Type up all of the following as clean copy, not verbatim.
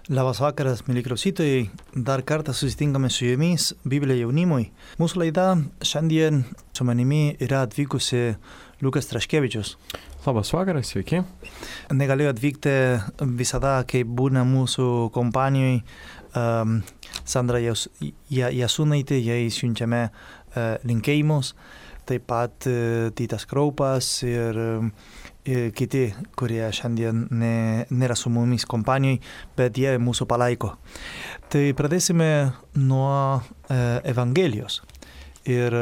Labas vakaras, mėly klausytojai. Dar kartą susitinkame su jumis Biblija jaunimui. Mūsų laida šiandien su manimi yra atvykusi Lukas Traškevičius. Labas vakaras, sveiki. Negalėjo atvykti visada, kai būna mūsų kompanijoje Sandra Jasūnaitė, jai siunčiame linkėjimus. Taip pat Titas Kraupas ir kiti, kurie šiandien nėra su mumis kompanijoje, bet jie mūsų palaiko. Tai pradėsime nuo Evangelijos. Ir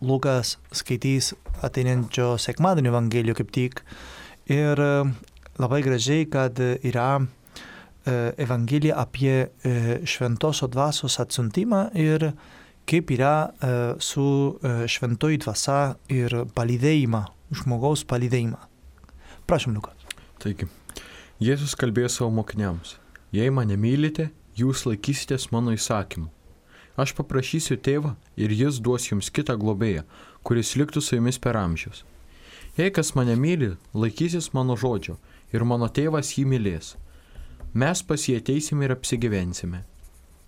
Lukas skaitys ateinančio sekmadienio Evangeliją kaip tik. Ir labai gražiai, kad yra Evangelija apie šventosios dvasios atsiuntimą ir kaip yra su šventoji dvasia ir palydėjimą, žmogaus palydėjimą. Prašom, Lukas. Taigi, Jėzus kalbėjo savo mokiniams: jei mane mylite, jūs laikysitės mano įsakymų. Aš paprašysiu tėvą ir jis duos jums kitą globėją, kuris liktų su jumis per amžius. Jei kas mane myli, laikysis mano žodžio ir mano tėvas jį mylės. Mes pas jį ateisime ir apsigyvensime.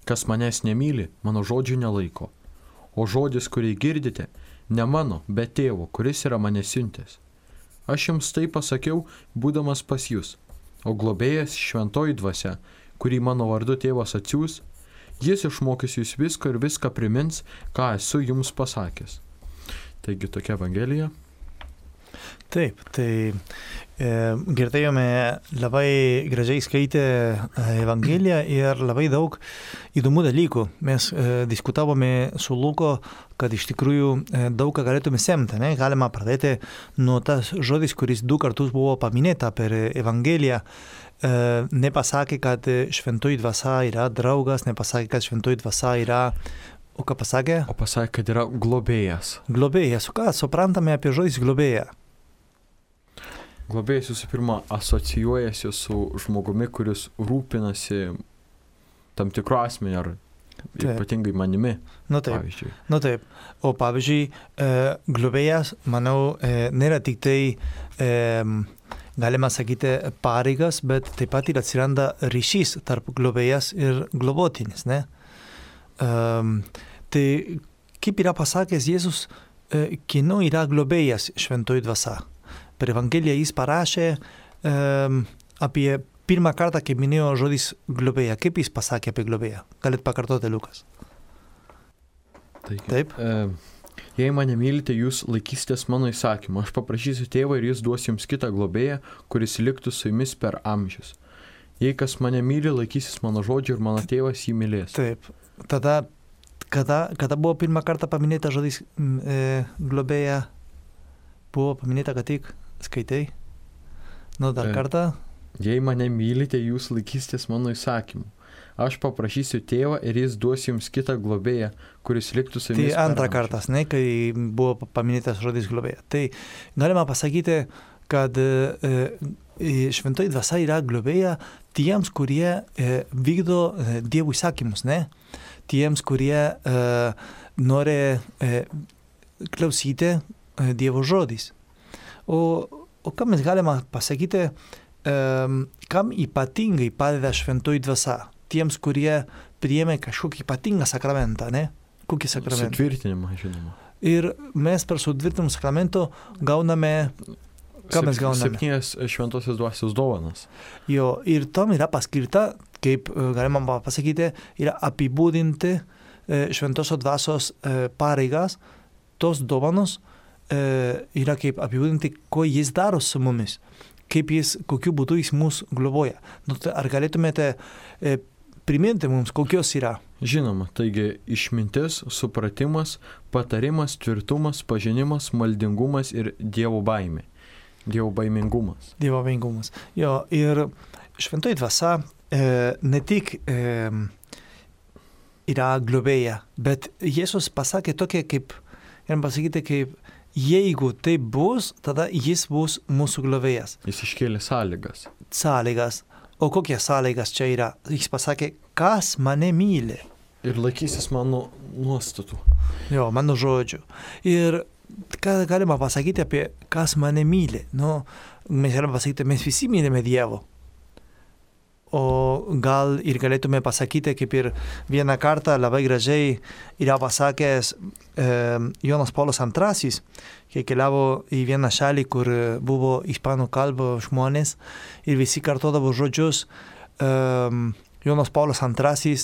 Kas manęs nemyli, mano žodžių nelaiko. O žodis, kurį girdite, ne mano, bet tėvo, kuris yra mane siuntęs. Aš jums tai pasakiau, būdamas pas jūs, o globėjas šventoji dvasia, kurį mano vardu tėvas atsiųs, jis išmokys jūs visko ir viską primins, ką esu jums pasakęs. Taigi tokia Evangelija. Taip, tai girdėjome labai gražiai skaitę Evangeliją ir labai daug įdomių dalykų. Mes diskutavome su Luko, kad iš tikrųjų daug ką galėtume semti. Ne? Galima pradėti nuo tas žodis, kuris 2 kartus buvo paminėta per Evangeliją. Nepasakė, kad šventoji dvasia yra draugas, nepasakė, kad šventoji dvasia yra... O ką pasakė? O pasakė, kad yra globėjas. Globėjas. O ką suprantame apie žodis globėja? Globėjas visų pirma asocijuojasi su žmogumi, kuris rūpinasi tam tikru asmeniu ar ypatingai manimi. Nu taip. Pavyzdžiui. Nu taip. O pavyzdžiui, globėjas, manau, nėra tik tai, galima sakyti, pareigas, bet taip pat ir atsiranda ryšys tarp globėjas ir globotinis, ne? Tai kaip yra pasakęs Jėzus, kieno yra globėjas šventoji dvasia. Per Evangeliją jis parašė apie pirmą kartą, kaip minėjo žodis globėja. Kaip jis pasakė apie globėją? Galit pakartoti, Lukas? Taip. Jei mane mylite, jūs laikysitės mano įsakymą. Aš paprašysiu tėvą ir jis duos jums kitą globėją, kuris liktų su jumis per amžius. Jei kas mane myli, laikysis mano žodžio ir mano tėvas jį mylės. Taip. Tada, kada buvo pirmą kartą paminėta žodis globėja? Buvo paminėta, kad tik skaitai. Nu, dar kartą. Jei mane mylite, jūs laikysitės mano įsakymų. Aš paprašysiu tėvą ir jis duos jums kitą globėją, kuris liktų su jumis. Tai antrą kartą, ne, kai buvo paminėtas žodis globėja. Tai galima pasakyti, kad šventoji dvasia yra globėja tiems, kurie vykdo Dievo įsakymus, ne? Tiems, kurie nori klausyti Dievo žodis. O ką mes galime pasakyti, kam ypatingai padeda šventoji dvasia? Tiems, kurie priėmė kažkokį ypatingą sakramentą, ne? Kokį sakramentą? Sutvirtinimą, žinoma. Ir mes per sutvirtinimą sakramento gauname... Ką mes gauname? 7 šventosios dvasios dovanas. Jo, ir tom yra paskirta, kaip galima pasakyti, yra apibūdinti šventosios dvasios pareigas. Tos dovanos yra kaip apibūdinti, ko jis daro su mumis, kokiu būdu jis mus globoja. Nu, ar galėtumėte priminti mums, kokios yra? Žinoma, taigi išmintis, supratimas, patarimas, tvirtumas, pažinimas, maldingumas ir Dievo baimė. Dievo baimingumas. Dievo baimingumas. Jo, ir šventoji dvasia ne tik yra globėja, bet Jėzus pasakė tokia kaip, galim pasakyti, kaip jeigu tai bus, tada jis bus mūsų globėjas. Jis iškėlė sąlygas. Sąlygas. O kokie sąlygas čia yra? Jis pasakė, kas mane myli. Ir laikysis mano nuostatų. Jo, mano žodžių. Ir ką galima pasakyti apie kas mane myli? Nu, mes galime pasakyti, mes visi mylime Dievo. o gal ir galėtume pasakyti, kaip ir vieną kartą labai gražiai yra pasakęs Jonas Paulius II, kai keliavo į vieną šalį, kur buvo ispanų kalbų žmonės ir visi kartodavo žodžius Jonas Paulius II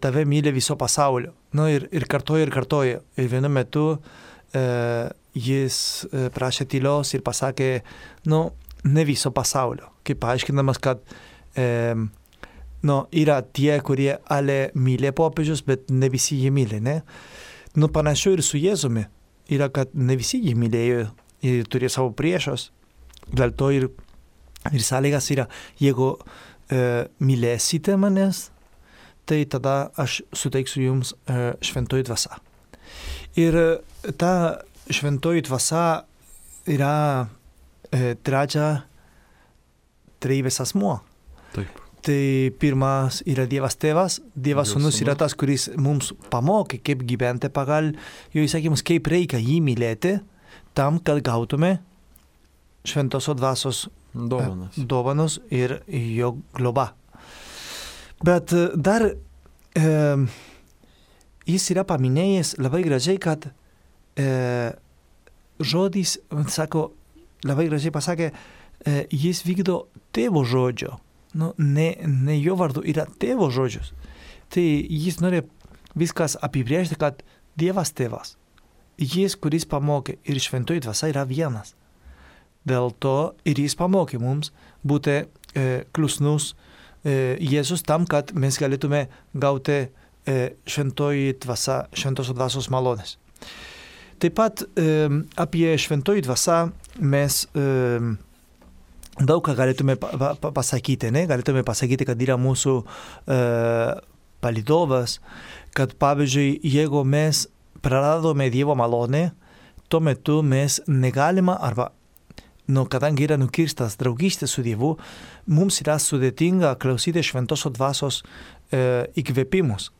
tave myli viso pasaulio. Nu, ir kartojo. Ir vienu metu jis prašė tylos ir pasakė, ne viso pasaulio. Kaip paaiškinamas, kad yra tie, kurie myli popiežius, bet ne visi jį myli, ne? Panašu ir su Jėzumi. Yra, kad ne visi jį mylėjo ir turėjo savo priešus. Dėl to ir sąlygas yra, jeigu mylėsite manęs, tai tada aš suteiksiu jums šventoji dvasia. Ir ta šventoji dvasia yra trejybės asmuo. Taip. Tai pirmas yra Dievas Tėvas, Dievas Sūnus yra tas, kuris mums pamokė, kaip gyventi pagal jo įsakymus, kaip reikia jį mylėti, tam, kad gautume šventosios dvasios dovanos ir jo globa. Bet dar jis yra paminėjęs labai gražiai, kad žodis, sako, labai gražiai pasakė, jis vykdo tėvo žodžio. Ne jo vardu, yra tėvo žodžius. Tai jis nori viskas apibrėžti, kad Dievas Tėvas, jis, kuris pamokė ir šventoji dvasia yra vienas. Dėl to ir jis pamokė mums būti klusnus Jėzus tam, kad mes galėtume gauti šventosios dvasios malonės. Taip pat apie šventoji dvasia mes daug ką galėtume pasakyti, ne? Galėtume pasakyti, kad yra mūsų palydovas, kad pavyzdžiui, jeigu mes praradome Dievo malonę, tuo metu mes negalima arba kadangi yra nukirstas draugystė su Dievu, mums yra sudėtinga klausyti šventosios dvasios įkvėpimus.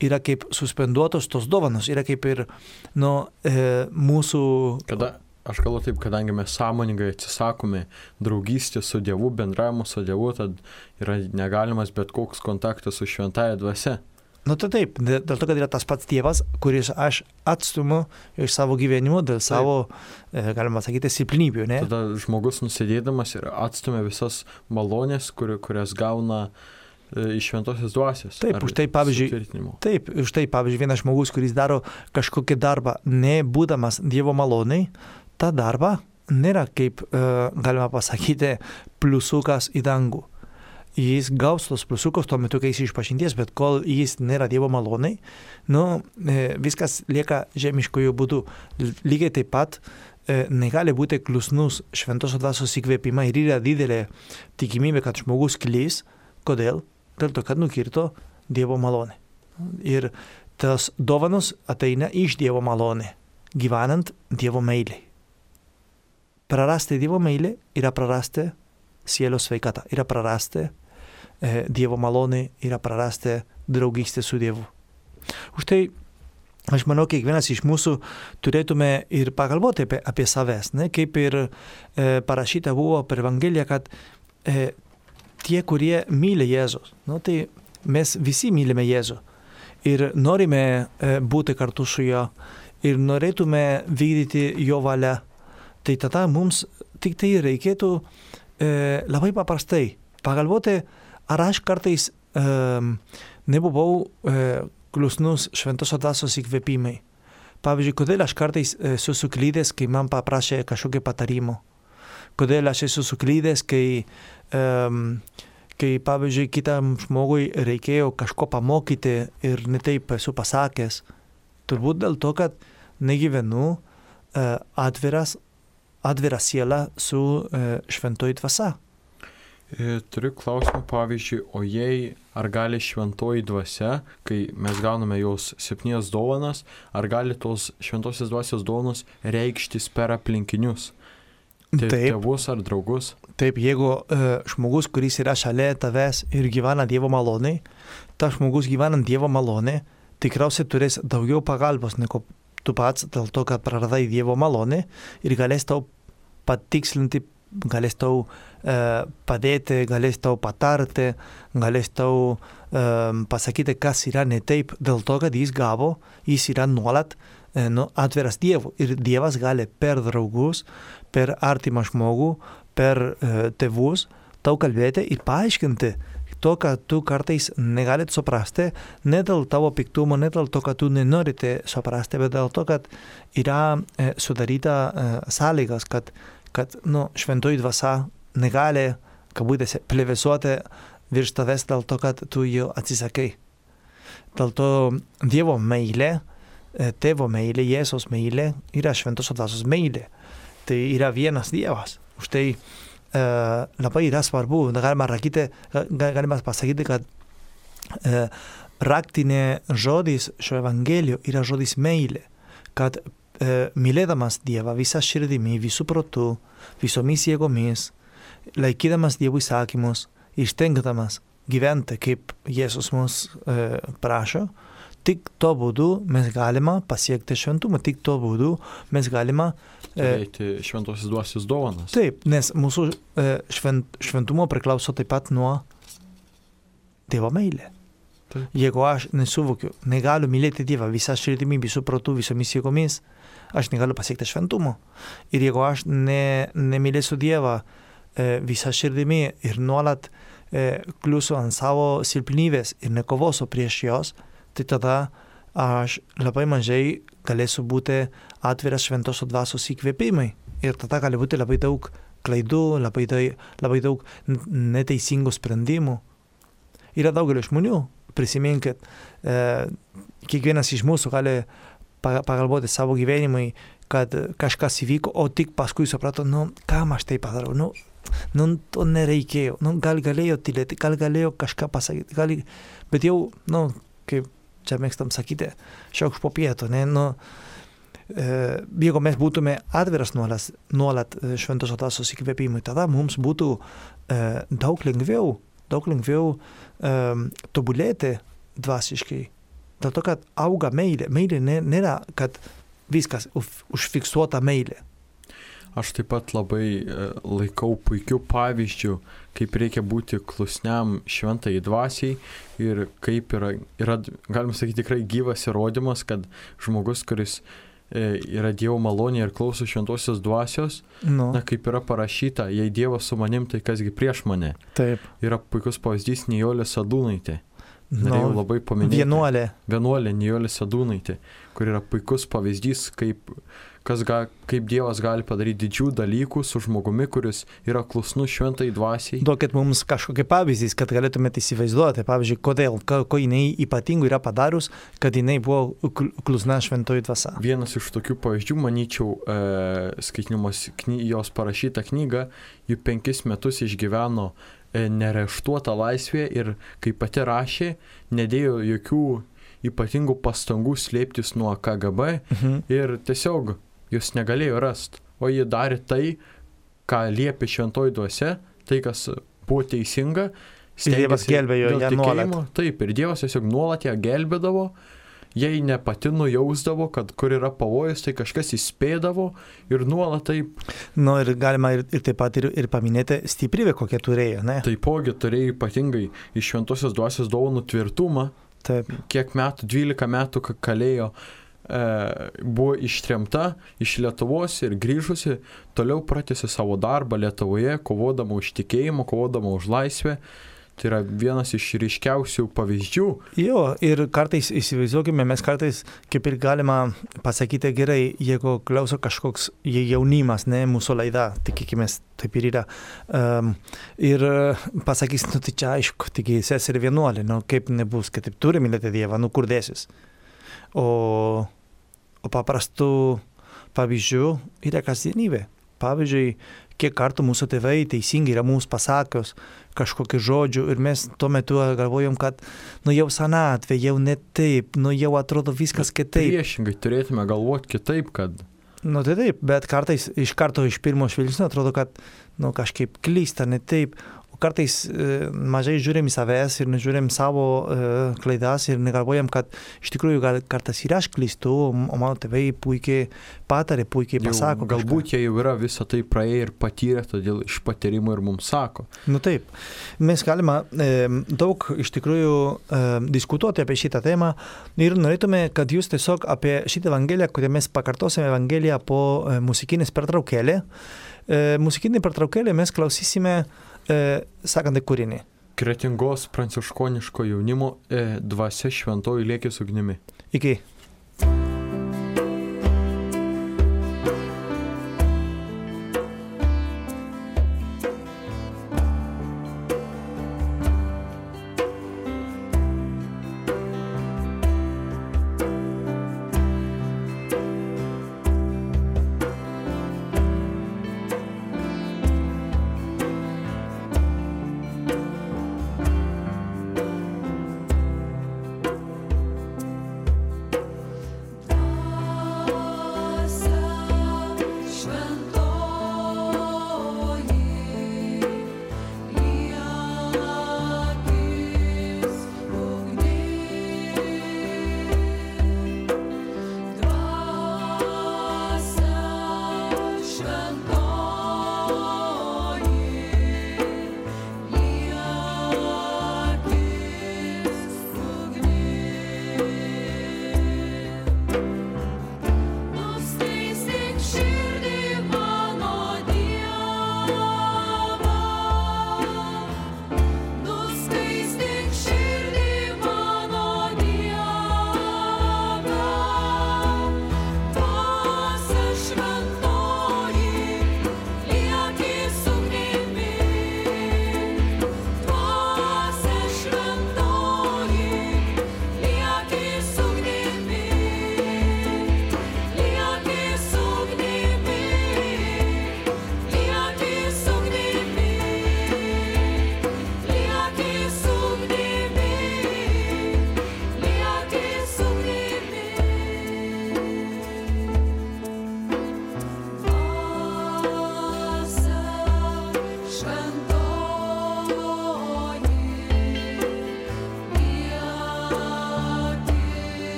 Yra kaip suspenduotos tos dovanos, yra kaip ir mūsų... Aš kalbu taip, kadangi mes sąmoningai atsisakome draugystės su Dievu, bendravimo su Dievu, tad yra negalimas bet koks kontaktas su šventąja dvasia. Tai taip, dėl to, kad yra tas pats Dievas, kuris aš atstumu iš savo gyvenimo dėl savo, galima sakyti, silpnybių, ne? Tada žmogus nusėdėdamas ir atstumia visas malonės, kurias gauna iš šventosios dvasios. Taip, už tai pavyzdžiui, vienas žmogus, kuris daro kažkokį darbą, nebūdamas Dievo maloniai, ta darba nėra kaip, galima pasakyti, pliusukas į dangų. Jis gaus tos pliusukus tuo metu, kai jis išpažinties, bet kol jis nėra Dievo maloniai, viskas lieka žemiškojų būdų. Lygiai taip pat negali būti klusnus šventosios dvasios įkvėpimą ir yra didelė tikimybė, kad žmogus klys. Kodėl? Dėl to, kad nukirto Dievo malonė. Ir tas dovanos ateina iš Dievo malonė, gyvenant Dievo meilį. Prarasti Dievo meilį yra prarasti sielos sveikatą, yra prarasti Dievo malonę, yra prarasti draugystę su Dievu. Už tai, aš manau, kiekvienas iš mūsų turėtume ir pagalvoti apie savęs, ne? Kaip ir parašyta buvo per Evangeliją, kad tie, kurie myli Jėzus, tai mes visi mylime Jėzų ir norime būti kartu su juo ir norėtume vykdyti jo valią. Tai tada mums tik tai reikėtų labai paprastai pagalvoti, ar aš kartais nebuvau klusnus šventosios dvasios įkvėpimai. Pavyzdžiui, kodėl aš kartais esu suklydęs, kai man paprašė kažkokio patarimo. Kodėl aš esu suklydęs, kai pavyzdžiui, kitam žmogui reikėjo kažko pamokyti ir netaip esu pasakęs. Turbūt dėl to, kad negyvenu atvira siela su šventoji dvasia. Turiu klausimą, pavyzdžiui, o jei ar gali šventoji dvasia, kai mes gauname jos 7 dovanas, ar gali tos šventosios dvasios dovanos reikštis per aplinkinius? Tėvus ar draugus? Taip, jeigu žmogus, kuris yra šalia tavęs ir gyvena Dievo malonėj, tas žmogus gyvenant Dievo malonėj tikriausiai turės daugiau pagalbos negu tu pats, dėl to, kad praradai Dievo malonę ir galės tau patikslinti galės tau padėti, galės tau patarti, galės tau pasakyti, kas yra ne taip, dėl to, kad jis yra nuolat atviras Dievui. Ir Dievas gali per draugus, per artimą žmogų, per tėvus tau kalbėti ir paaiškinti to, kad tu kartais negalit suprasti, ne dėl tavo piktumo, ne dėl to, kad tu nenorite suprasti, bet dėl to, kad yra sudaryta sąlygas, kad šventoji dvasia negali, kabutėse, plevėsuoti virš tavęs dėl to, kad tu jo atsisakai. Dėl to Dievo meilė, tėvo meilė, Jėzaus meilė yra šventosios dvasios meilė. Tai yra vienas Dievas. Už tai labai yra svarbu, galima pasakyti, kad raktinė žodis šio evangelijų yra žodis meilė, kad mylėdamas Dievą visą širdimi, visų protų, visomis jėgomis, laikydamas Dievo įsakymus ir stengdamas gyventi, kaip Jėzus mus prašo, tik to būdu mes galima pasiekti šventumą, tik to būdu mes galima turėti šventosios dvasios dovanas. Taip, nes mūsų šventumo priklauso taip pat nuo Dievo meilė. Taip. Jeigu aš nesuvokiu, negaliu mylėti Dievą visą širdimi, visų protų, visomis jėgomis, aš negaliu pasiekti šventumo. Ir jeigu aš nemylėsiu Dievą visą širdimi ir nuolat kliūsiu ant savo silpnybės ir nekovosiu prieš jos, tai tada aš labai mažai galėsiu būti atviras šventosios dvasios įkvėpimai. Ir tada gali būti labai daug klaidų, labai daug neteisingų sprendimų. Yra daugelio žmonių, prisiminkit, kiekvienas iš mūsų gali pagalvoti savo gyvenimui, kad kažkas įvyko, o tik paskui suprato, kam aš tai padarau, to nereikėjo, gal galėjo tylėti, gal galėjo kažką pasakyti, bet jau, kaip čia mėgstam sakyti, šioks po pietų, jeigu mes būtume atviras nuolat šventosios dvasios įkvėpimui, tada mums būtų daug lengviau tobulėti dvasiškai. Dėl to, kad auga meilė. Meilė nėra, kad viskas užfiksuota meilė. Aš taip pat labai laikau puikių pavyzdžių, kaip reikia būti klusniam šventai dvasiai ir kaip yra, galima sakyti, tikrai gyvas įrodymas, kad žmogus, kuris yra Dievo malonė ir klauso šventosios dvasios, kaip yra parašyta, jei Dievas su manim, tai kasgi prieš mane. Taip. Yra puikus pavyzdys Nijolė Sadūnaitė. Norėjau labai paminėti. Vienuolė Nijolė Sadūnaitė, kur yra puikus pavyzdys, kaip Dievas gali padaryti didžių dalykų su žmogumi, kuris yra klusnus šventai dvasiai. Duokit mums kažkokį pavyzdys, kad galėtumėte įsivaizduoti, pavyzdžiui, ko jinai ypatingų yra padarius, kad jinai buvo klusna šventoji dvasia. Vienas iš tokių pavyzdžių, manyčiau, skaitinimas jos parašytą knygą, ji 5 metus išgyveno nereštuotą laisvę ir, kaip pati rašė, nedėjo jokių ypatingų pastangų slėptis nuo KGB ir tiesiog jūs negalėjo rasti, o ji darė tai, ką liepė šventoji dvasia, tai, kas buvo teisinga. Ir Dievas gelbėjo ją nuolat. Taip, ir Dievas tiesiog nuolat ją gelbėdavo, jei ne pati nujausdavo, kad kur yra pavojus, tai kažkas įspėdavo ir nuolat taip. Ir galima ir taip pat ir paminėti stiprybę, kokią turėjo, ne? Taipogi turėjo ypatingai iš šventosios dvasios dovanų tvirtumą. Taip. Kiek metų, 12 metų kalėjo, buvo ištremta iš Lietuvos ir grįžusi, toliau pratęsė savo darbą Lietuvoje, kovodama už tikėjimą, kovodama už laisvę. Tai yra vienas iš ryškiausių pavyzdžių. Jo, ir kartais įsivaizduokime, mes kartais kaip ir galima pasakyti gerai, jeigu klauso kažkoks jaunimas, ne mūsų laida, tikėkimės, taip ir yra. Ir pasakys, tai čia aišku, tik seserį vienuolė, kaip nebus, kad taip turi mylėti Dievą, kur dėsis. O paprastų pavyzdžių yra kasdienybė. Pavyzdžiui, kiek kartų mūsų tėvai teisingai yra mums pasakios kažkokių žodžių ir mes tuo metu galvojom, kad jau senatvė, jau ne taip, jau atrodo viskas kitaip. Priešingai turėtume galvoti kitaip, kad... Tai taip, bet kartais iš karto iš pirmo žvilgsnio atrodo, kad kažkaip klysta ne taip. O kartais mažai žiūrim į savęs ir nežiūrim savo klaidas ir negalvojam, kad iš tikrųjų gal kartais ir aš klystu, o mano tėvai puikiai patarė, puikiai pasako. Galbūt jie jau yra visą tai praėję ir patyrę, todėl iš patyrimo ir mums sako. Nu taip, mes galime daug iš tikrųjų diskutuoti apie šitą temą ir norėtume, kad jūs tiesiog apie šitą evangeliją, kurią mes pakartosime evangeliją po muzikinės pertraukėlė. Muzikinį pertraukėlį mes klausysime sakantį kūrinį. Kretingos pranciškoniško jaunimo dvasia šventoji lieki su ugnimi. Iki.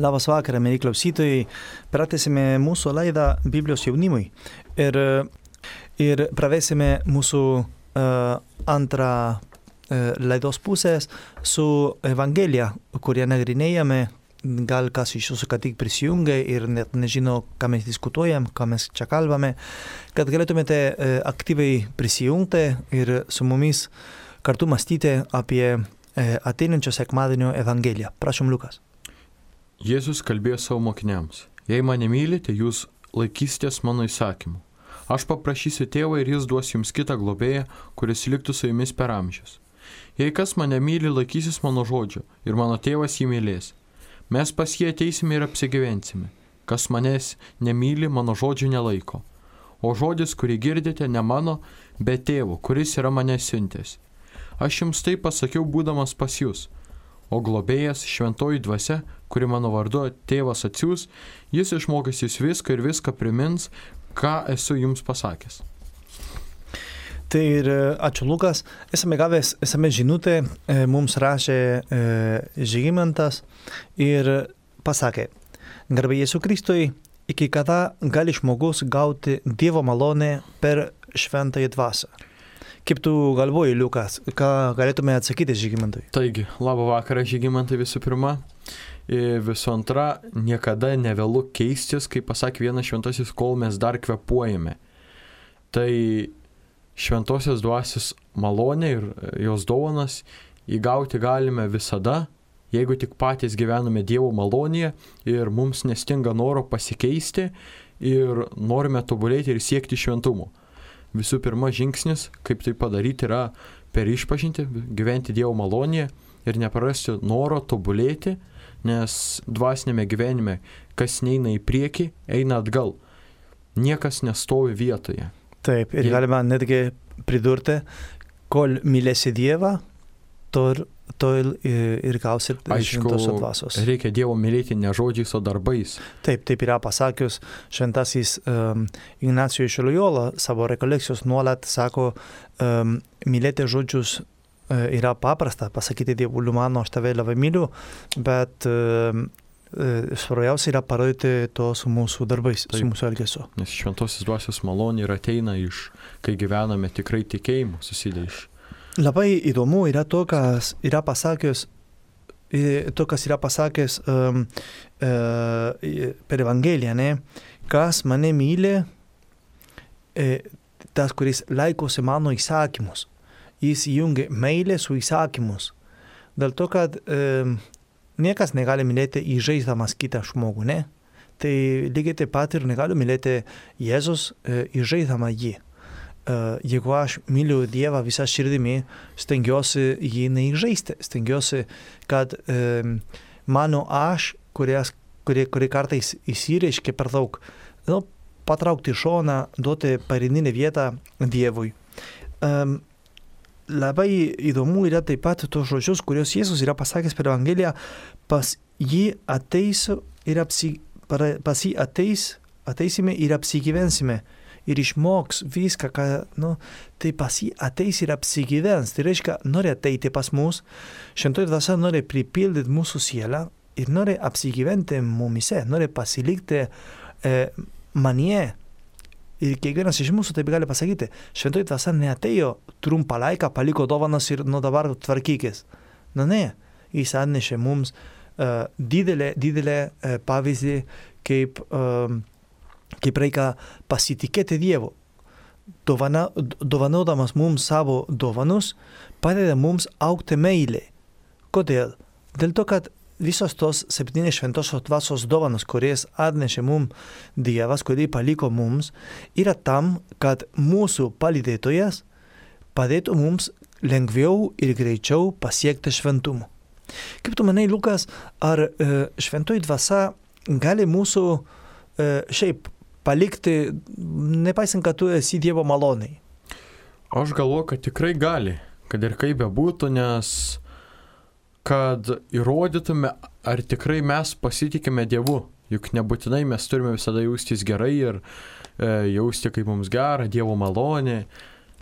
Labas vakarą, mieli klausytojai. Pratęsime mūsų laidą Biblijos jaunimui ir pravesime mūsų antrą laidos pusės su Evangelija, kurią nagrinėjame. Gal kas iš jūsų ką tik prisijungia ir net nežino, ką mes diskutuojam, ką mes čia kalbame, kad galėtumėte aktyviai prisijungti ir su mumis kartu mąstyti apie ateinančio sekmadienio Evangeliją. Prašom, Liukas. Jėzus kalbėjo savo mokiniams: jei mane mylite, jūs laikysitės mano įsakymų. Aš paprašysiu tėvą ir jis duos jums kitą globėją, kuris liktų su jumis per amžius. Jei kas mane myli, laikysis mano žodžio ir mano tėvas jį mylės. Mes pas jį ateisime ir apsigyvensime. Kas manęs nemyli, mano žodžių nelaiko. O žodis, kurį girdite, ne mano, bet tėvo, kuris yra mane siuntęs. Aš jums tai pasakiau būdamas pas jūs. O globėjas, šventoji dvasia, kuri mano vardu tėvas atsiųs, jis išmokys jūs viską ir viską primins, ką esu jums pasakęs. Tai ir ačiū, Lukas. Esame gavęs žinutę, mums rašė Žygimantas ir pasakė: garbė Jėzui Kristui, iki kada gali žmogus gauti Dievo malonę per šventąją dvasią? Kaip tu galvoji, Liukas, ką galėtume atsakyti Žygimantui? Taigi, labą vakarą, Žygimantai, visų pirma. Visų antra, niekada nevėlu keistis, kaip pasakė vienas šventasis, kol mes dar kvėpuojame. Tai šventosios dvasios malonė ir jos dovanas įgauti galime visada, jeigu tik patys gyvename Dievo malonėje ir mums nestinga noro pasikeisti ir norime tobulėti ir siekti šventumo. Visų pirma, žingsnis, kaip tai padaryti, yra per išpažintį, gyventi Dievo malonėje ir neprarasti noro tobulėti, nes dvasinėme gyvenime, kas neina į priekį, eina atgal. Niekas nestovi vietoje. Taip, ir galima netgi pridurti, kol mylėsi Dievą, tol ir gausi šventosios dvasios. Reikia Dievo mylėti ne žodžiais, o darbais. Taip yra pasakius šventasis Ignacijus iš Lojola savo rekolekcijos nuolat sako, mylėti žodžius yra paprasta, pasakyti Dievui, mano, aš tave labai myliu, bet svarbiausia yra parodyti to su mūsų darbais, su mūsų elgesiu. Nes šventosios dvasios malonė ir ateina kai gyvename tikrai tikėjimu, susideda iš. Labai įdomu yra to, kas yra pasakęs per Evangeliją, ne? Kas mane myli, tas, kuris laikosi mano įsakymus. Jis jungia meilę su įsakymus. Dėl to, kad niekas negali mylėti įžeisdamas kitą žmogų, ne? Tai lygiai taip pat ir negaliu mylėti Jėzus įžeisdama jį. Jeigu aš myliu Dievą visą širdimi, stengiuosi jį neįžeisti, stengiuosi, kad mano aš, kuri kartais įsireiškia per daug, patraukti šoną, duoti pagrindinę vietą Dievui. Labai įdomu yra taip pat tos žodžius, kuriuos Jėzus yra pasakęs per Evangeliją: pas jį ateisime ir apsigyvensime. Ir išmoks viską, tai pas jį ateis ir apsigyvens. Tai reiškia, nori ateiti pas mus, šventoji dvasia nori pripildyti mūsų sielą ir nori apsigyventi mumise, nori pasilikti manyje. Ir kiekvienas iš mūsų taip gali pasakyti, šventoji dvasia neatėjo trumpą laiką, paliko dovanas ir nuo dabar tvarkykis. Ne, jis atnešė mums didelę pavyzdį, kaip reikia pasitikėti Dievu. Dovanodamas mums savo dovanus, padeda mums augti meilė. Kodėl? Dėl to, kad visos tos 7 šventosios dvasios dovanos, kurias atnešė mums Dievas, kurį paliko mums, yra tam, kad mūsų palydėtojas padėtų mums lengviau ir greičiau pasiekti šventumo. Kaip tu manai, Lukas, ar šventoji dvasia gali mūsų šiaip palikti, nepaisant, kad tu esi Dievo maloniai? Aš galvoju, kad tikrai gali, kad ir kaip bebūtų, nes kad įrodytume, ar tikrai mes pasitikime Dievu. Juk nebūtinai mes turime visada jaustis gerai ir jausti, kaip mums gera, Dievo malonė.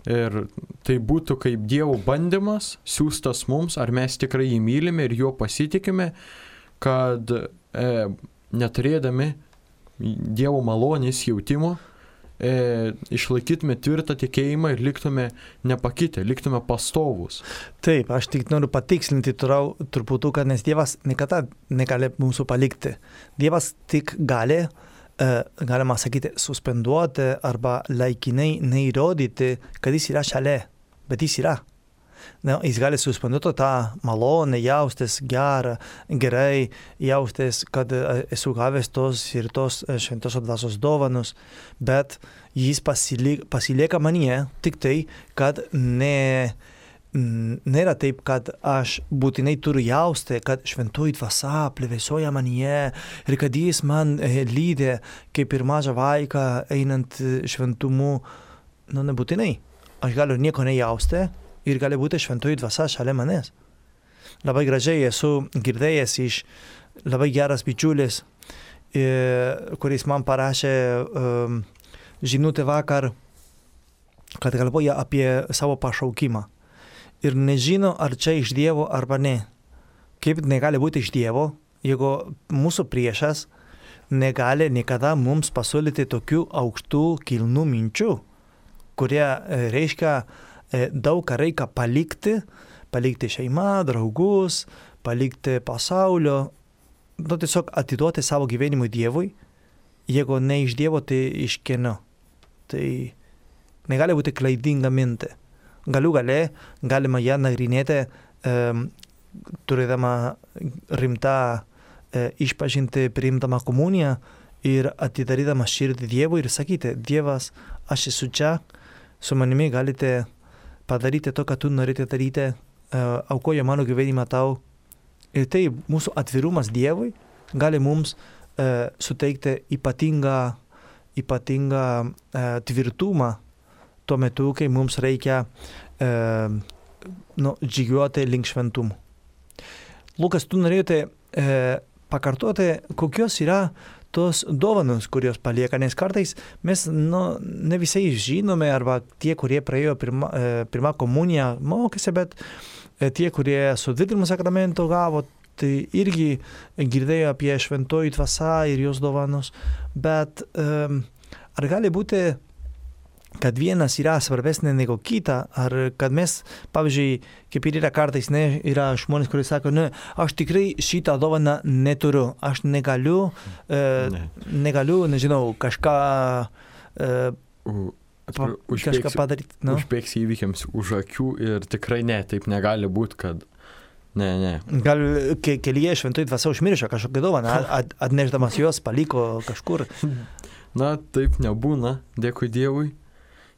Ir tai būtų kaip Dievo bandymas, siųstas mums, ar mes tikrai jį mylime ir juo pasitikime, kad neturėdami Dievo malonės jautimo, išlaikytume tvirtą tikėjimą ir liktume nepakitę, liktume pastovus. Taip, aš tik noriu patikslinti truputuką, nes Dievas niekada negali mūsų palikti. Dievas tik gali, galima sakyti, suspenduoti arba laikinai neįrodyti, kad jis yra šalia, bet jis yra. Jis gali suspenduoti tą malonę, jaustis gerai, jaustis, kad esu gavęs tos ir tos šventosios dvasios dovanos, bet jis pasilieka manyje tik tai, kad nėra taip, kad aš būtinai turiu jausti, kad šventoji dvasia plevėsuoja manyje ir kad jis man lydi kaip ir mažą vaiką einant šventumu. Nebūtinai. Aš galiu nieko nejausti. Ir gali būti šventoji dvasia šalia manęs. Labai gražiai esu girdėjęs iš labai geras bičiulis, kuris man parašė žinutę vakar, kad galvoja apie savo pašaukimą. Ir nežino, ar čia iš Dievo arba ne. Kaip negali būti iš Dievo, jeigu mūsų priešas negali niekada mums pasiūlyti tokių aukštų kilnų minčių, kurie reiškia daug ką reikia palikti šeimą, draugus, palikti pasaulio, tiesiog atiduoti savo gyvenimui Dievui, jeigu ne iš Dievo, tai iš kieno. Tai negali būti klaidinga mintė. Galima ją nagrinėti, turėdama rimtą išpažinti, priimdama komuniją ir atidarydama širdį Dievui ir sakyti, Dievas, aš esu čia, su manimi galite padaryti to, ką tu norite daryti, aukoja mano gyvenimą tau. Ir tai mūsų atvirumas Dievui gali mums suteikti ypatingą tvirtumą tuo metu, kai mums reikia žygiuoti link šventumo. Lukas, tu norėjote pakartoti, kokios yra tos dovanos, kurios palieka, nes kartais mes ne visai žinome, arba tie, kurie praėjo pirmą komuniją, mokėsi, bet tie, kurie sutvirtinimo sakramento gavo, tai irgi girdėjo apie šventoji dvasia ir jos dovanos, bet ar gali būti, kad vienas yra svarbesnė negu kita, ar kad mes, pavyzdžiui, kaip ir yra kartais, yra žmonės, kurie sako, aš tikrai šitą dovaną neturiu, aš negaliu, nežinau, kažką padaryti. Užbėgsi įvykiams už akių ir tikrai taip negali būti, kad ne. Gal kelyje šventoji dvasia užmiršo kažkokią dovaną, atnešdamas jos paliko kažkur. Taip nebūna, dėkui Dievui.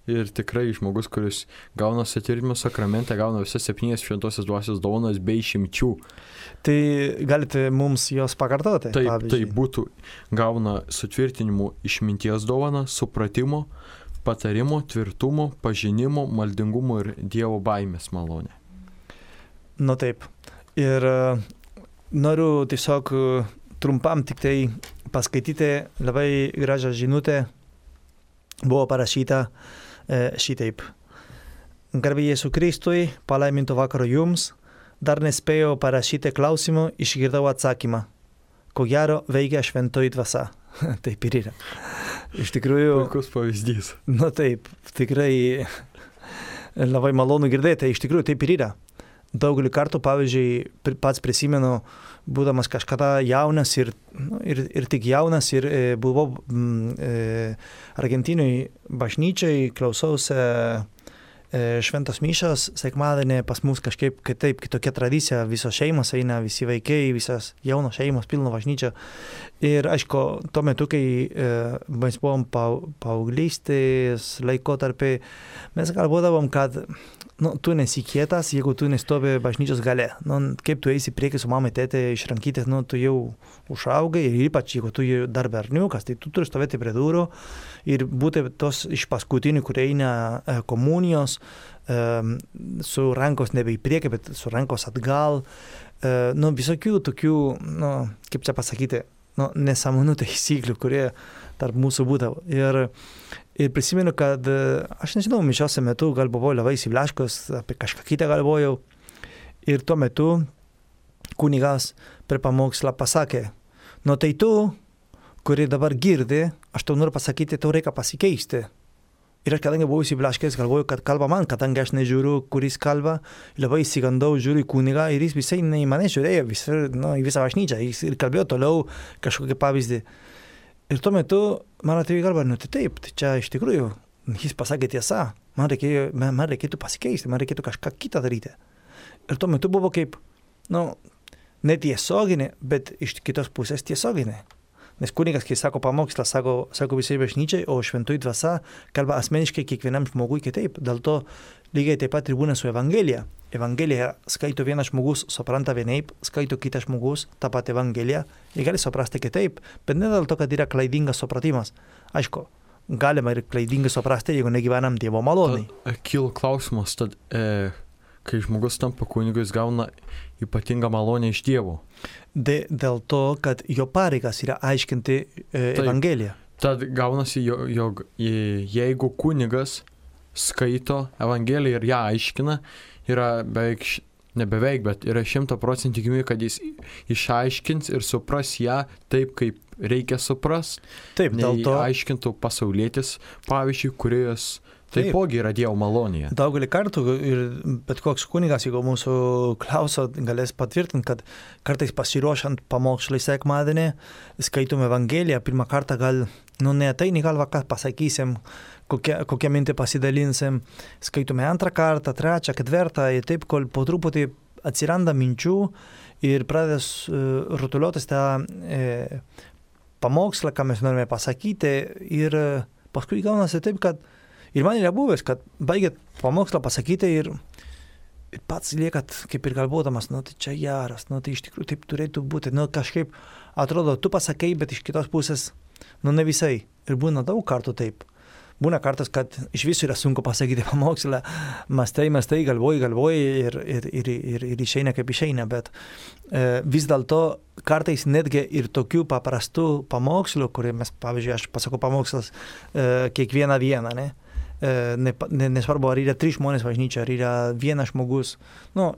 Ir tikrai žmogus, kuris gauna sutvirtinimo sakramentą, gauna visas 7 šventosios dvasios dovanas be išimčių. Tai galite mums jos pakartoti? Tai būtų gauna sutvirtinimo išminties dovaną, supratimo, patarimo, tvirtumo, pažinimo, maldingumo ir Dievo baimės malonė. Taip. Ir noriu tiesiog trumpam tik tai paskaityti labai gražią žinutę. Buvo parašyta šitaip. Garbė Jėzui Kristui, palaiminto vakaro jums, dar nespėjau parašyti klausimų, išgirdau atsakymą. Ko gero veikia šventoji dvasia. Taip ir yra. Iš tikrųjų. Puikus pavyzdys. Taip, tikrai labai malonu girdėti, iš tikrųjų taip ir yra. Daugelį kartų, pavyzdžiui, pats prisimenu, būdamas kažkada jaunas ir tik jaunas ir buvau Argentinui bažnyčiai, klausausi šventos mišios, sekmadienį pas mus kažkaip kitokia tradicija, visos šeimos eina, visi vaikai, visas jaunos šeimos, pilno bažnyčio. Ir aišku, tuo metu, kai mes buvom paauglystės laikotarpiai, mes galvodavom, kad tu nesi kietas, jeigu tu nestovi bažnyčios gale. Kaip tu eisi prieki su mamai, tėtė iš rankytės, tu jau užaugai ir ypač, jeigu tu dar berniukas, tai tu turi stovėti prie durų ir būti tos iš paskutinių, kurie eina komunijos, su rankos nebe į priekį, bet su rankos atgal. Visokių tokių, kaip čia pasakyti, nesąmonų taisyklių, kurie tarp mūsų būdavo. Ir prisimenu, kad aš nežinau, mišiose metu gal buvau labai įsiblaškęs, apie kažką kitą galvojau. Ir tuo metu kunigas per pamokslą pasakė, Nu tai tu, kuri dabar girdi, aš tau noriu pasakyti, tau reikia pasikeisti. Ir aš kadangi buvau įsiblaškęs, galvoju, kad kalba man, kadangi aš nežiūriu, kuris kalba, labai įsigandau, žiūriu į kunigą ir jis visai ne į mane žiūrėjo, į visą bažnyčią, jis ir kalbėjo toliau kažkokį pavyzdį. Ir tuo metu man atėjo į galvą, tai taip, tai čia iš tikrųjų, jis pasakė tiesą, man reikėtų pasikeisti, man reikėtų kažką kitą daryti. Ir tuo metu buvo kaip, netiesioginė, bet iš kitos pusės tiesioginė. Nes kunigas, kai sako pamokslą, sako visai bažnyčiai, o šventoji dvasia kalba asmeniškai kiekvienam žmogui kitaip. Dėl to lygiai taip pat ir būna su Evangelija. Evangelija skaito vienas žmogus, supranta vienaip, skaito kitas žmogus, tą patį Evangeliją, ir gali suprasti kitaip, bet ne dėl to, kad yra klaidingas supratimas. Aišku, galima ir klaidingai suprasti, jeigu negyvenam Dievo malonai. Kyla klausimas, tad kai žmogus tampa kunigu, jis gauna ypatingą malonę iš Dievo. Dėl to, kad jo pareigas yra aiškinti Evangeliją. Tad gaunasi, jog jeigu kunigas skaito Evangeliją ir ją aiškina, yra bet yra 100% tikimybė, kad jis išaiškins ir supras ją taip, kaip reikia supras. Taip, dėl to aiškintų pasaulietis, pavyzdžiui, kuris taipogi yra Dievo malonėje. Daugelį kartų ir bet koks kunigas, jeigu mūsų klauso, galės patvirtinti, kad kartais pasiruošiant pamokslai sekmadienį, skaitom Evangeliją, pirmą kartą gal, neateini galva, ką pasakysim, kokią mintį pasidalinsim, skaitome antrą kartą, trečią, ketvirtą, ir taip, kol po truputį atsiranda minčių ir pradės rutuliotis tą pamokslą, ką mes norime pasakyti, ir paskui gaunasi taip, kad ir man yra buvęs, kad baigėt pamokslą pasakyti ir pats liekat kaip ir galvodamas, tai čia geras, tai iš tikrųjų taip turėtų būti, kažkaip atrodo, tu pasakai, bet iš kitos pusės, ne visai. Ir būna daug kartų taip. Būna kartas, kad iš viso yra sunku pasakyti pamokslą, mastai, galvoji ir išeina kaip išeina, bet vis dėlto kartais netgi ir tokių paprastų pamokslų, kurie mes, pavyzdžiui, aš pasakau pamokslas kiekvieną dieną, nesvarbu, ar yra 3 žmonės bažnyčia, ar yra vienas žmogus.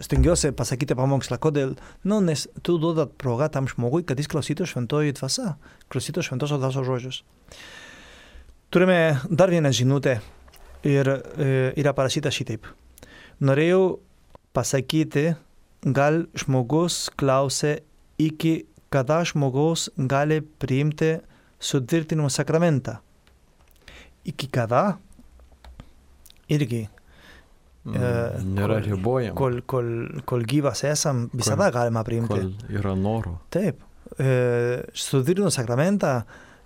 Stengiuosi pasakyti pamokslą. Kodėl? Nes tu duodat progą tam žmogui, kad jis klausytų šventoji dvasia, klausytų šventosios dvasios žodžius. Turime dar vieną žinutę ir yra parašyta šitaip. Norėjau pasakyti, gal žmogus klausė, iki kada žmogus gali priimti sutvirtinimo sakramentą. Iki kada? Irgi. Nėra ribojama. Kol gyvas esam, visada galima priimti. Kol yra noro. Taip. Sutvirtinimo sakramentą,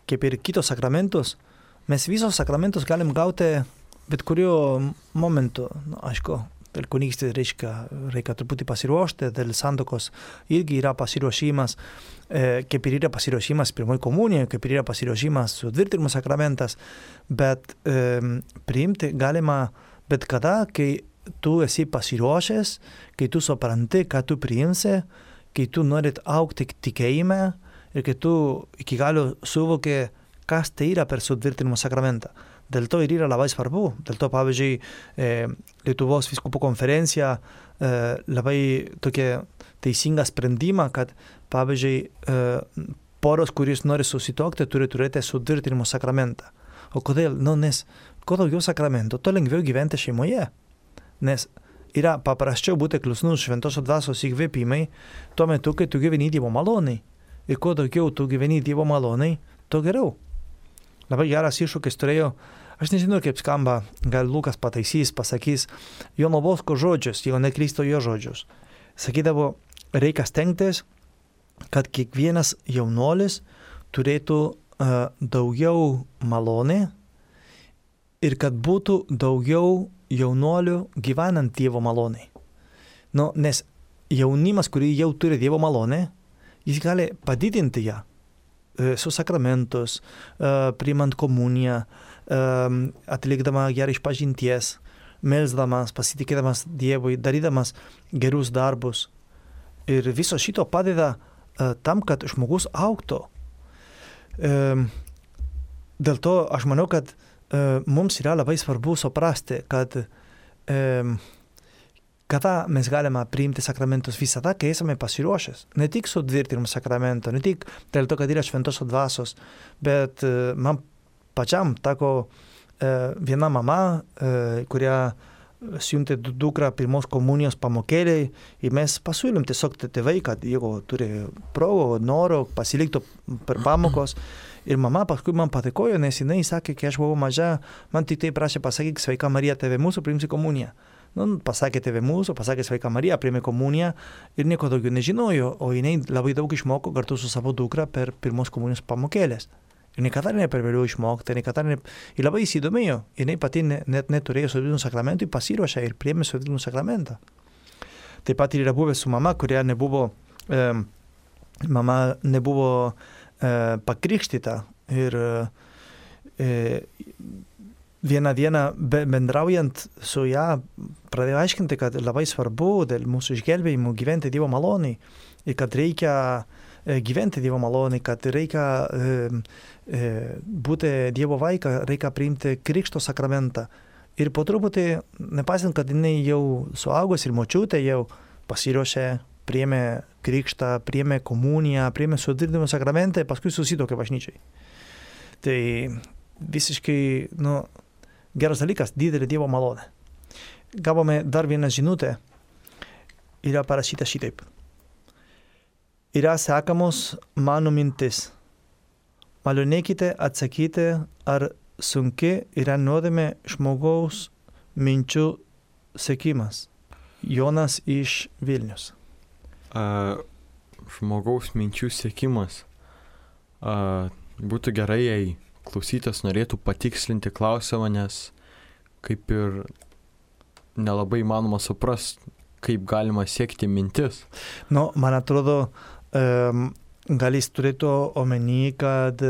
kaip ir kitos sakramentus, mes visos sakramentus galim gauti bet kuriuo momentu. Aišku, dėl kunigystės reikia truputį pasiruošti, dėl santokos irgi yra pasiruošimas, kaip ir yra pasiruošimas pirmoji komunija, kaip ir yra pasiruošimas sutvirtinimo sakramentas, bet priimti galima bet kada, kai tu esi pasiruošęs, kai tu supranti, ką tu priimsi, kai tu norit augti tikėjime ir kai tu iki galo suvoki, kas tai yra per sutvirtinimo sakramentą. Dėl to ir yra labai svarbu. Dėl to, pavyzdžiui, Lietuvos vyskupų konferencija labai tokia teisinga sprendimą, kad, pavyzdžiui, poros, kuris nori susituokti, turi turėti sutvirtinimo sakramentą. O kodėl? Nes kuo daugiau sakramentų, to lengviau gyventi šeimoje. Nes yra paprasčiau būti klusnus šventosios dvasios įkvėpimai tuo metu, kai tu gyveni Dievo malonai. Ir kuo daugiau tu gyveni Dievo malonai, to geriau. Labai geras iššūkis turėjo, aš nežinau, kaip skamba, gal Lukas pataisys, pasakys Jono Bosko žodžius, jeigu neklysto jo žodžius. Sakydavo, reikia stengtis, kad kiekvienas jaunuolis turėtų daugiau malonė ir kad būtų daugiau jaunuolių gyvenant Dievo malonai. Nes jaunimas, kurį jau turi Dievo malonę, jis gali padidinti ją. Su sakramentus, priimant komuniją, atlikdama gerą išpažinties, melsdamas, pasitikėdamas Dievui, darydamas gerus darbus. Ir viso šito padeda tam, kad žmogus augtų. Dėl to aš manau, kad mums yra labai svarbu suprasti, kad kada mes galime priimti sakramentus visada, kai esame pasiruošęs. Ne tik su tvirtinimu sakramento, ne tik dėl to, kad yra šventosios dvasios, bet man pačiam teko viena mama, kuria siuntė dukrą pirmos komunijos pamokėliai ir mes pasiūlėm tiesiog tėvai, kad jeigu turi progų, noro, pasiliktų per pamokos. Ir mama paskui man patikojo, nes jinai sakė, kai aš buvau maža, man tik tai prašė pasakyk sveika Marija, tėvė mūsų, priimsi komuniją. Pasakė tėvė mūsų, pasakė sveika Marija, priėmė komuniją ir nieko daugiau nežinojo, o jinai labai daug išmoko kartu su savo dukra per pirmos komunijos pamokėlės. Ir niekada ne per vėliau išmokti, ir labai įsidomėjo, jinai pati net neturėjo sovietinų sakramentų, pasiruošė ir priėmė sovietinų sakramentą. Taip pat ir yra buvę su mama, kuria nebuvo pakrikštyta ir vieną dieną bendraujant su ją pradėjo aiškinti, kad labai svarbu dėl mūsų išgelbėjimų gyventi Dievo maloniai ir kad reikia gyventi Dievo maloniai, kad reikia būti Dievo vaiką, reikia priimti krikšto sakramentą. Ir po truputį, nepaisant, kad jinai jau suaugos ir močiutė jau pasiruošė, priėmė krikštą, priėmė komuniją, priėmė sutvirtinimo sakramentą, paskui susituokė bažnyčiai. Tai visiškai, geras dalykas, didelė Dievo malonė. Gavome dar vieną žinutę, yra parašyta šitaip. Yra sekamos mano mintis. Malonėkite atsakyti, ar sunki yra nuodėmė žmogaus minčių sekimas. Jonas iš Vilnius. Žmogaus minčių sekimas. Būtų gerai, jei klausytas norėtų patikslinti klausimą, nes kaip ir nelabai įmanoma suprasti, kaip galima sekti mintis. Man atrodo, gal jis turėtų omeny, kad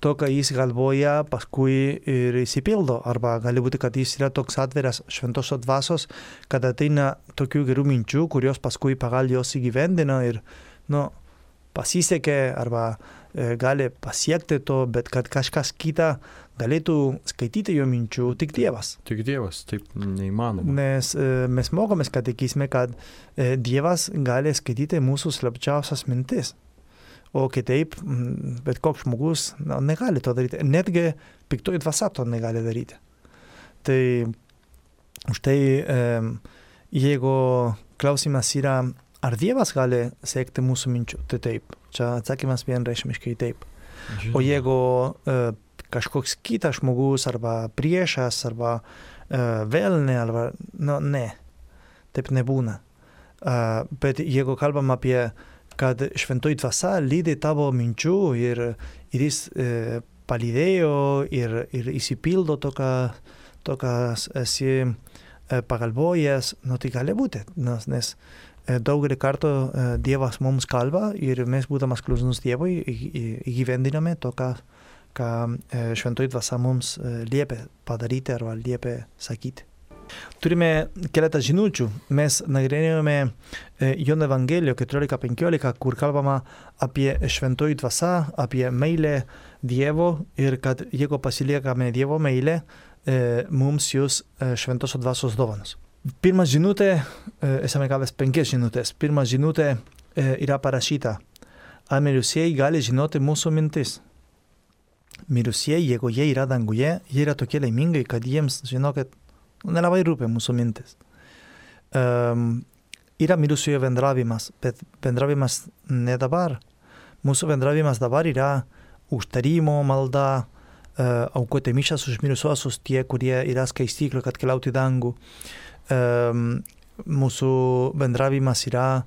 to, ką jis galvoja, paskui ir įsipildo. Arba gali būti, kad jis yra toks atviras šventosios dvasios, kad ateina tokių gerų minčių, kurios paskui pagal jos įgyvendina ir pasisekė arba gali pasiekti to, bet kad kažkas kita galėtų skaityti jo minčių, tik Dievas. Tik Dievas, taip neįmanoma. Nes mes mokomės katekizme, kad Dievas gali skaityti mūsų slapčiausias mintis. O kitaip, bet koks žmogus negali to daryti. Netgi piktoji dvasia to negali daryti. Tai už tai, jeigu klausimas yra, ar Dievas gali sekti mūsų minčių, tai taip. Čia atsakymas vienreikšmiškai taip. O jeigu kažkoks kitas žmogus, arba priešas, arba velnė, arba, ne, taip nebūna. Bet jeigu kalbam apie kad šventoji dvasia lydi tavo minčių ir jis palydėjo ir įsipildo to, kas esi pagalvojęs, tai gali būti, nes daugelį kartų Dievas mums kalba ir mes būdamas klusnus Dievui įgyvendiname to, ką šventoji dvasia mums liepia padaryti arba liepia sakyti. Turime keletą žinučių. Mes nagrinėjome Jono Evangeliją 14:15, kur kalbama apie šventoji dvasia, apie meilę Dievo ir kad jeigu pasiliekame Dievo meilę, mums jūs šventosios dvasios dovanos. Pirma žinutė, esame gavęs 5 žinutės. Pirma žinutė yra parašyta. Ar mirusieji gali žinoti mūsų mintis? Mirusieji, jeigu jie yra danguje, jie yra tokie laimingai, kad jiems, žinokit, nelabai rūpia mūsų mintis. Yra mirusiojo bendravimas, bet bendravimas ne dabar. Mūsų bendravimas dabar yra užtarimo malda, aukoti mišias už mirusiuosius, tie, kurie yra skaistykloje, kad keliautų į dangų. Mūsų bendravimas yra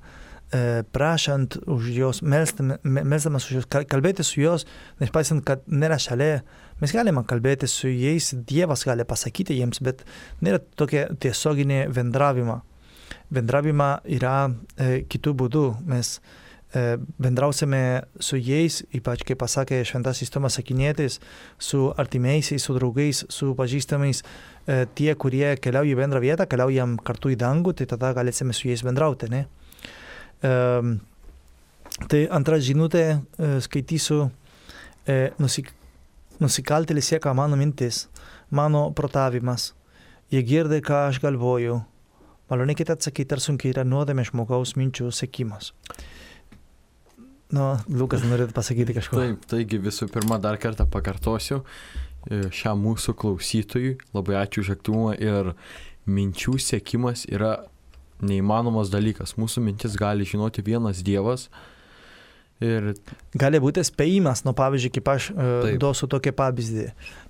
prašant už jos, melsdamas už jos, kalbėti su jos, nepaisant, kad nėra šalia. Mes galime kalbėti su jais, Dievas gali pasakyti jiems, bet nėra tokia tiesioginė bendravima. Bendravima yra kitų būdų. Mes bendrausime su jais, ypač kaip pasakė šventasis Tomas Akvinietis, su artimeisiais, su draugais, su pažįstamais, tie, kurie keliauja į bendrą vietą, keliaujam kartu į dangų, tai tada galėsime su jais bendrauti, ne? Tai antra žinutė, skaitysiu, nusikaltėlis sieka mano mintis, mano protavimas, jie girdi, ką aš galvoju, Malonėkite atsakyti, ar sunkiai yra nuodėmė žmogaus minčių sekimas. Lukas, norėtų pasakyti kažko. Taip, taigi visų pirma dar kartą pakartosiu šiam mūsų klausytojui. Labai ačiū už aktyvumą ir minčių sekimas yra neįmanomas dalykas. Mūsų mintis gali žinoti vienas Dievas. Ir gali būti spėjimas, pavyzdžiui, kaip aš duosiu tokį pavyzdį.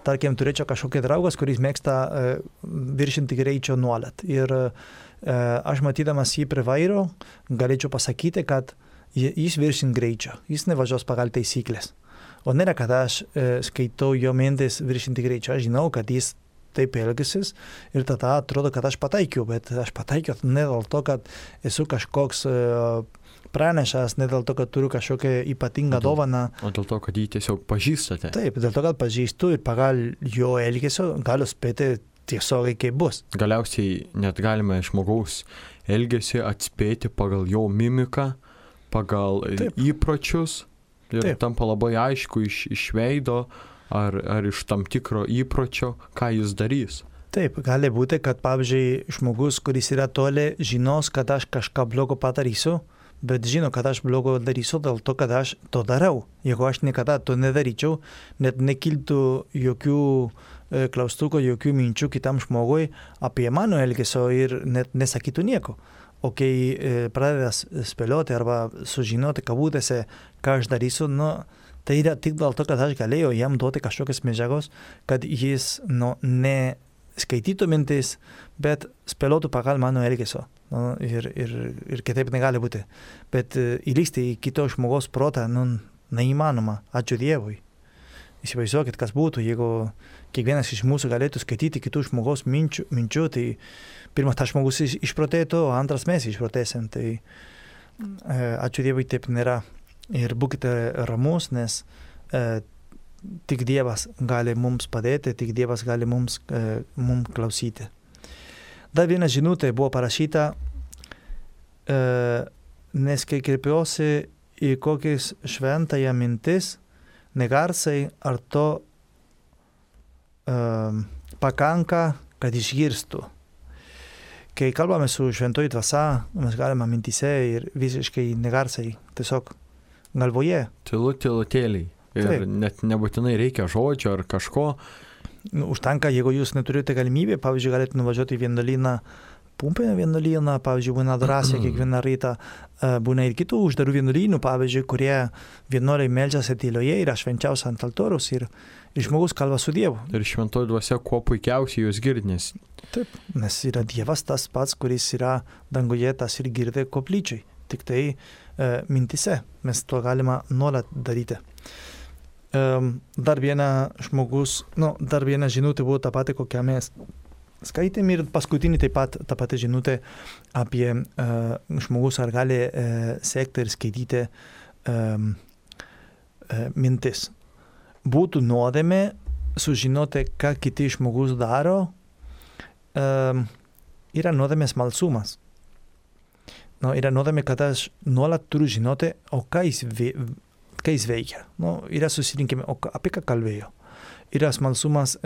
Tarkim, turėčiau kažkokį draugas, kuris mėgsta viršinti greičio nuolat. Ir aš matydamas jį prie vairo, galėčiau pasakyti, kad jis viršint greičio, jis nevažiuos pagal taisyklės. O nėra, kad aš skaitau jo mintis viršinti greičio. Aš žinau, kad jis taip elgisis ir tada atrodo, kad aš pataikiau, bet aš pataikiau ne dėl to, kad esu kažkoks pranešas, ne dėl to, kad turiu kažkokią ypatingą dovaną. O dėl to, kad jį tiesiog pažįstate. Taip, dėl to, kad pažįstu ir pagal jo elgesio galiu spėti tiesiogiai, kaip bus. Galiausiai net galime žmogaus elgesį atspėti pagal jo mimiką, pagal įpročius. Ir tampa labai aišku iš veido ar iš tam tikro įpročio, ką jis darys. Taip, gali būti, kad pavyzdžiui žmogus, kuris yra toli, žinos, kad aš kažką blogo padarysiu, bet žino, kad aš blogo darysiu dėl to, kad aš to darau. Jeigu aš niekada to nedaryčiau, net nekiltų jokių klaustukų, jokių minčių kitam žmogui apie mano elgesio ir net nesakytų nieko. O kai pradedas spėlioti arba sužinoti kabutėse, ką aš darysiu, tai yra tik dėl to, kad aš galėjau jam duoti kažkokias medžiagos, kad jis ne skaitytų mintis, bet spėliotų pagal mano elgesio. Ir kitaip negali būti. Bet įlįsti į kito žmogaus protą neįmanoma. Ačiū Dievui. Įsivaizduokit, kas būtų, jeigu kiekvienas iš mūsų galėtų skaityti kitų žmogaus minčių, tai pirmas tas žmogus išprotėtų, o antras mes išprotėsim. Tai ačiū Dievui, taip nėra. Ir būkite ramus, nes tik Dievas gali mums padėti, tik Dievas gali mums klausyti. Dar viena žinutė buvo parašyta, nes kai kreipiuosi į kokiais šventąją mintis, negarsai, ar to pakanka, kad išgirstų. Kai kalbame su šventoji dvasia, mes galime mintise ir visiškai negarsai, tiesiog galvoje. Tylutėliai. Ir net nebūtinai reikia žodžio ar kažko. Užtenka, jeigu jūs neturite galimybę, pavyzdžiui, galite nuvažiuoti į vienuolyną, Pumpėnio vienuolyną, pavyzdžiui, būna adoracija kiekvieną rytą, būna ir kitų uždarų vienuolynų, pavyzdžiui, kurie vienuoliai meldžiasi tyloje, yra švenčiausia ant altoriaus ir žmogus kalba su Dievu. Ir šventoji dvasia kuo puikiausiai jūs girdės. Taip, nes yra Dievas tas pats, kuris yra danguje, tas ir girdė koplyčiai. Tik tai mintise mes to galima nuolat daryti. Dar viena žinutė buvo ta pati, kokią mes skaitėm ir paskutinį taip pat ta pati žinutė apie žmogus ar gali sekti ir skaityti mintis. Būtų nuodėmė sužinoti, ką kiti žmogus daro, yra nuodėmės smalsumas. Yra nuodėmė, kad aš nuolat turiu žinoti, o ką jis veikia. Yra susirinkime, apie ką kalbėjo. Yra smalsumas,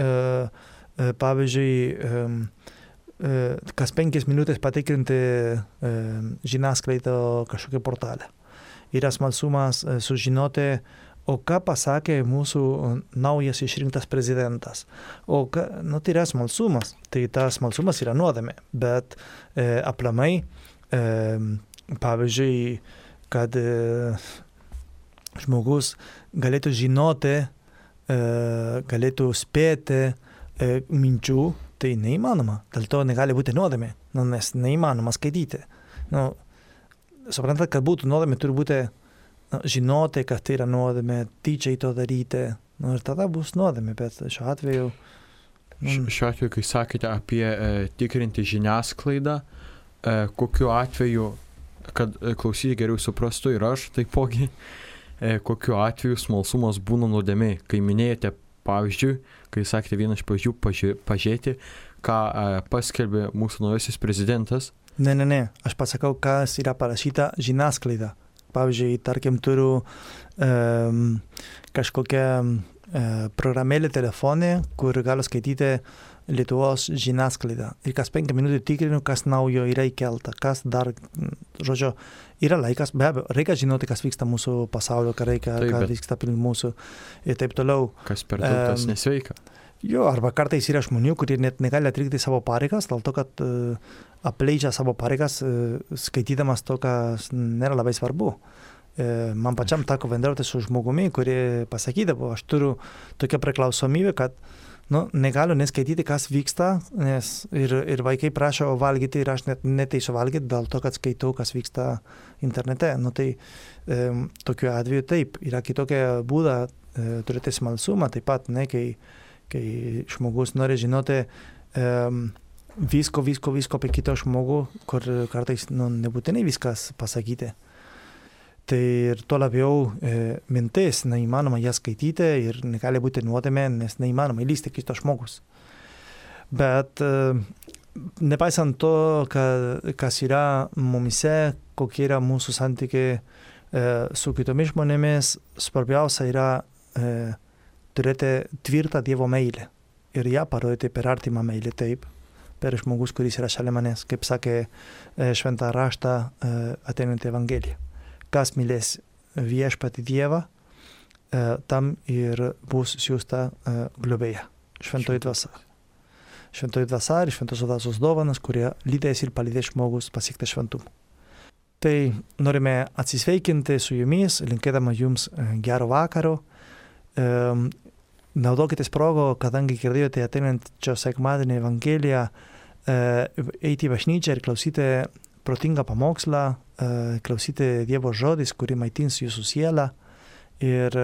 pavyzdžiui, kas 5 minutės patikrinti žiniasklaidą kažkokią portalę. Yra smalsumas sužinoti, o ką pasakė mūsų naujas išrinktas prezidentas. Tai yra smalsumas. Tai tas smalsumas yra nuodėmė. Bet aplamai, pavyzdžiui, kad žmogus galėtų žinoti, galėtų spėti minčių, tai neįmanoma. Dėl to negali būti nuodėmė, nes neįmanoma skaityti. Suprantat, kad būtų nuodėmė, turi būti žinoti, kad tai yra nuodėmė, tyčiai to daryti. Ir tada bus nuodėmė, bet šiuo atveju... Šiuo atveju, kai sakėte apie tikrinti žiniasklaidą, kokiu atveju, kad klausyti geriau suprastų ir aš taipogi, kokiu atveju smalsumas būna nuodėmė. Kai minėjote pavyzdžiui, kai sakėte vieną iš pavyzdžių pažiūrėti, ką paskelbė mūsų naujasis prezidentas. Ne, aš pasakau, kas yra parašyta žiniasklaida. Pavyzdžiui, tarkim, turiu kažkokią programėlė telefonė, kur galiu skaityti Lietuvos žiniasklaidą. Ir kas 5 minutės tikrinu, kas naujo yra įkelta, kas dar, žodžiu, yra laikas, be abejo, reikia žinoti, kas vyksta mūsų pasaulio karai, kas vyksta aplink mūsų ir taip toliau. Kas per daug, tas nesveika. Jo, arba kartais yra žmonių, kurie net negali atlikti savo pareigas, dėl to, kad apleidžia savo pareigas, skaitydamas to, kas nėra labai svarbu. Man pačiam teko bendrauti su žmogumi, kurie pasakydavo, aš turiu tokią priklausomybę, kad negaliu neskaityti, kas vyksta, nes ir vaikai prašo valgyti ir aš net neteisiu valgyti dėl to, kad skaitau, kas vyksta internete. Tai tokiu atveju taip, yra kitokia būda turėti smalsumą, taip pat, kai žmogus nori žinoti visko apie kitą žmogų, kur kartais nebūtinai viskas pasakyti. Tai ir to labiau mintis, neįmanoma ją skaityti ir negali būti nuodėmė, nes neįmanoma įlysti kito žmogus. Bet nepaisant to, kas yra mumise, kokie yra mūsų santykiai su kitomis žmonėmis, svarbiausia yra turėti tvirtą Dievo meilę ir ją parodyti per artimą meilę, taip, per žmogus, kuris yra šalia manęs, kaip sakė šventą raštą ateinanti Evangelija. Kas mylės viešpatį Dievą, tam ir bus siųsta globėja, šventoji dvasia. Šventoji dvasia ir šventosios dvasios dovanas, kurie lydės ir palydės žmogus pasiekti šventumą. Tai norime atsisveikinti su jumis, linkėdama jums gero vakaro. Naudokitės progo, kadangi girdėjote ateinančio sekmadienio Evangeliją, eiti į bažnyčią ir klausyti protingą pamokslą, klausyti Dievo žodis, kuri maitins jūsų sielą ir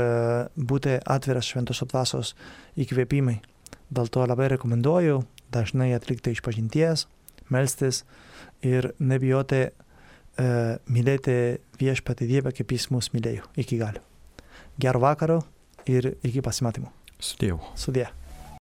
būti atviras šventosios dvasios įkvėpimai. Dėl to labai rekomenduoju dažnai atlikti išpažinties, melstis ir nebijoti mylėti viešpatį Dievą, kaip jis mus mylėjo iki galo. Gero vakaro ir iki pasimatymų. Sudie. Sudie.